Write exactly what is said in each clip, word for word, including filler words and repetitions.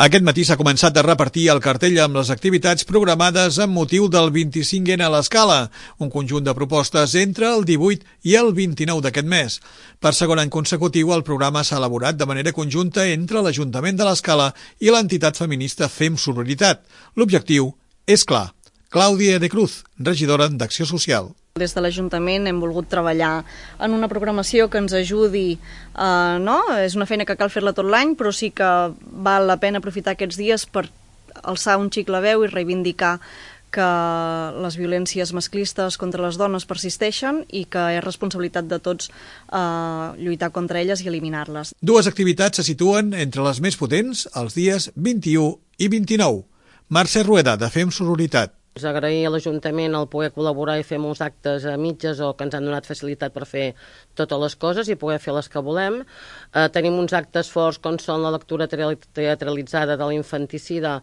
Aquest matí s'ha començat a repartir el cartell amb les activitats programades amb motiu del vint-i-cinc ena a l'Escala, un conjunt de propostes entre el divuit i el vint-i-nou d'aquest mes. Per segon any consecutiu, el programa s'ha elaborat de manera conjunta entre l'Ajuntament de l'Escala i l'entitat feminista Fem Sororitat. L'objectiu és clar. Clàudia de Cruz, regidora d'Acció Social. Des de l'Ajuntament hem volgut treballar en una programació que ens ajudi, eh, no? És una feina que cal fer-la tot l'any, però sí que val la pena aprofitar aquests dies per alçar un xic la veu i reivindicar que les violències masclistes contra les dones persisteixen i que és responsabilitat de tots eh, lluitar contra elles i eliminar-les. Dues activitats se situen entre les més potents els dies vint-i-u i vint-i-nou. Mercè Rueda, de Fem Sororitat. Us agrair a l'Ajuntament el poder col·laborar i fer molts actes a mitges o que ens han donat facilitat per fer totes les coses i poder fer les que volem. Eh, tenim uns actes forts com són la lectura teatralitzada de l'infanticida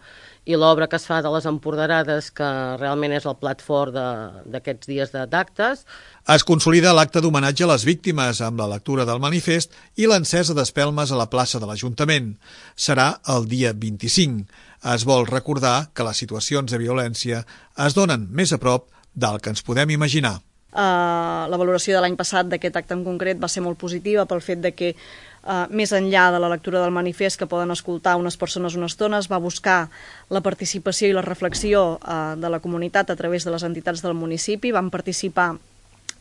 i l'obra que es fa de les empoderades, que realment és el plat fort d'aquests dies d'actes. Es consolida l'acte d'homenatge a les víctimes amb la lectura del manifest i l'encesa d'espelmes a la plaça de l'Ajuntament. Serà el dia vint-i-cinc. Es vol recordar que les situacions de violència es donen més a prop del que ens podem imaginar. Uh, la valoració de l'any passat d'aquest acte en concret va ser molt positiva pel fet de que uh, més enllà de la lectura del manifest que poden escoltar unes persones una estona, es va buscar la participació i la reflexió uh, de la comunitat a través de les entitats del municipi. Van participar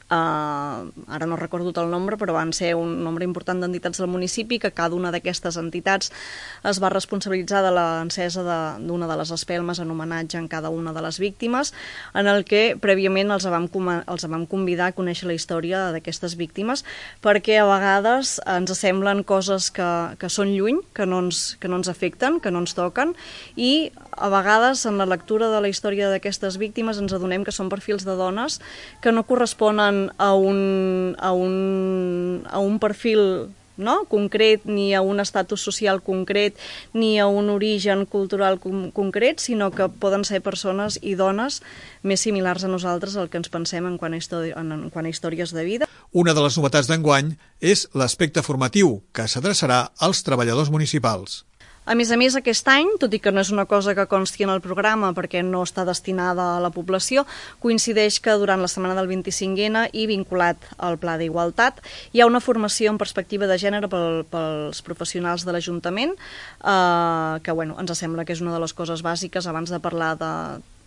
Uh, ara no recordo el nombre, però van ser un nombre important d'entitats del municipi, que cada una d'aquestes entitats es va responsabilitzar de l'encesa d'una de, de les espelmes en homenatge en cada una de les víctimes, en el que prèviament els vam, els vam convidar a conèixer la història d'aquestes víctimes, perquè a vegades ens semblen coses que, que són lluny, que no, ens, que no ens afecten, que no ens toquen, i a vegades en la lectura de la història d'aquestes víctimes ens adonem que són perfils de dones que no corresponen a un, a un, a un perfil, no?, concret, ni a un estatus social concret, ni a un origen cultural com, concret, sinó que poden ser persones i dones més similars a nosaltres al que ens pensem en quant a, en, en quant a històries de vida. Una de les novetats d'enguany és l'aspecte formatiu, que s'adreçarà als treballadors municipals. A més a més, aquest any, tot i que no és una cosa que consti en el programa perquè no està destinada a la població, coincideix que durant la setmana del vint-i-cinc ena i vinculat al Pla d'Igualtat hi ha una formació en perspectiva de gènere pel, pels professionals de l'Ajuntament, eh, que bueno, ens sembla que és una de les coses bàsiques abans de parlar de...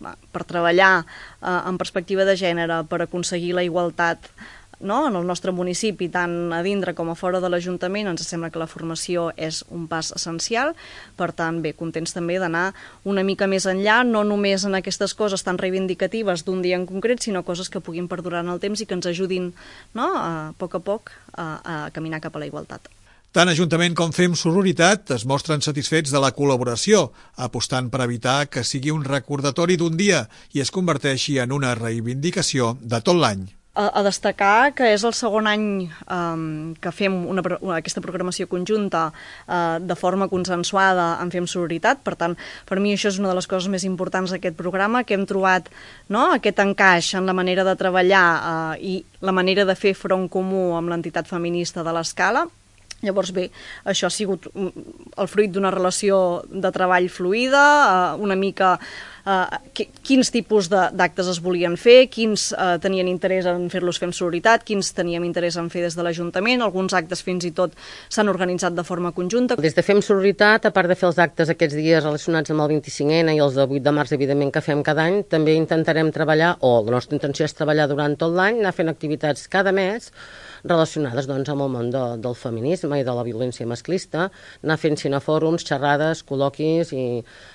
per treballar eh, en perspectiva de gènere, per aconseguir la igualtat, no?, en el nostre municipi, tant a dintre com a fora de l'Ajuntament. Ens sembla que la formació és un pas essencial. Per tant, bé, contents també d'anar una mica més enllà, no només en aquestes coses tan reivindicatives d'un dia en concret, sinó coses que puguin perdurar en el temps i que ens ajudin, no?, a poc a poc a, a caminar cap a la igualtat. Tant Ajuntament com Fem Sororitat es mostren satisfets de la col·laboració, apostant per evitar que sigui un recordatori d'un dia i es converteixi en una reivindicació de tot l'any. A destacar que és el segon any um, que fem una, una, aquesta programació conjunta uh, de forma consensuada en Fem Sororitat. Per tant, per mi això és una de les coses més importants d'aquest programa, que hem trobat, no?, aquest encaix en la manera de treballar uh, i la manera de fer front comú amb l'entitat feminista de l'Escala. Llavors, bé, això ha sigut el fruit d'una relació de treball fluida, uh, una mica... Uh, quins tipus d'actes es volien fer, quins uh, tenien interès en fer-los Fem Sororitat, quins teníem interès en fer des de l'Ajuntament. Alguns actes fins i tot s'han organitzat de forma conjunta. Des de Fem Sororitat, a part de fer els actes aquests dies relacionats amb el vint-i-cinc ena i els de vuit de març, evidentment, que fem cada any, també intentarem treballar, o la nostra intenció és treballar durant tot l'any, anar fent activitats cada mes relacionades, doncs, amb el món de, del feminisme i de la violència masclista, anar fent cinefòrums, xerrades, col·loquis i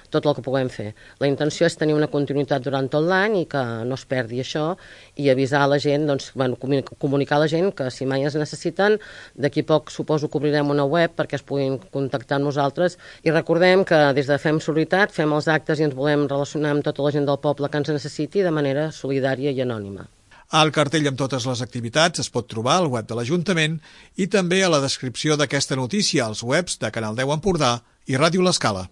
tot el que puguem fer. La intenció és tenir una continuïtat durant tot l'any i que no es perdi això i avisar a la gent, doncs, bueno, comunicar a la gent que si mai es necessiten, d'aquí poc suposo que obrirem una web perquè es puguin contactar amb nosaltres i recordem que des de Fem Sororitat fem els actes i ens volem relacionar amb tota la gent del poble que ens necessiti de manera solidària i anònima. El cartell amb totes les activitats es pot trobar al web de l'Ajuntament i també a la descripció d'aquesta notícia als webs de Canal deu Empordà i Ràdio L'Escala.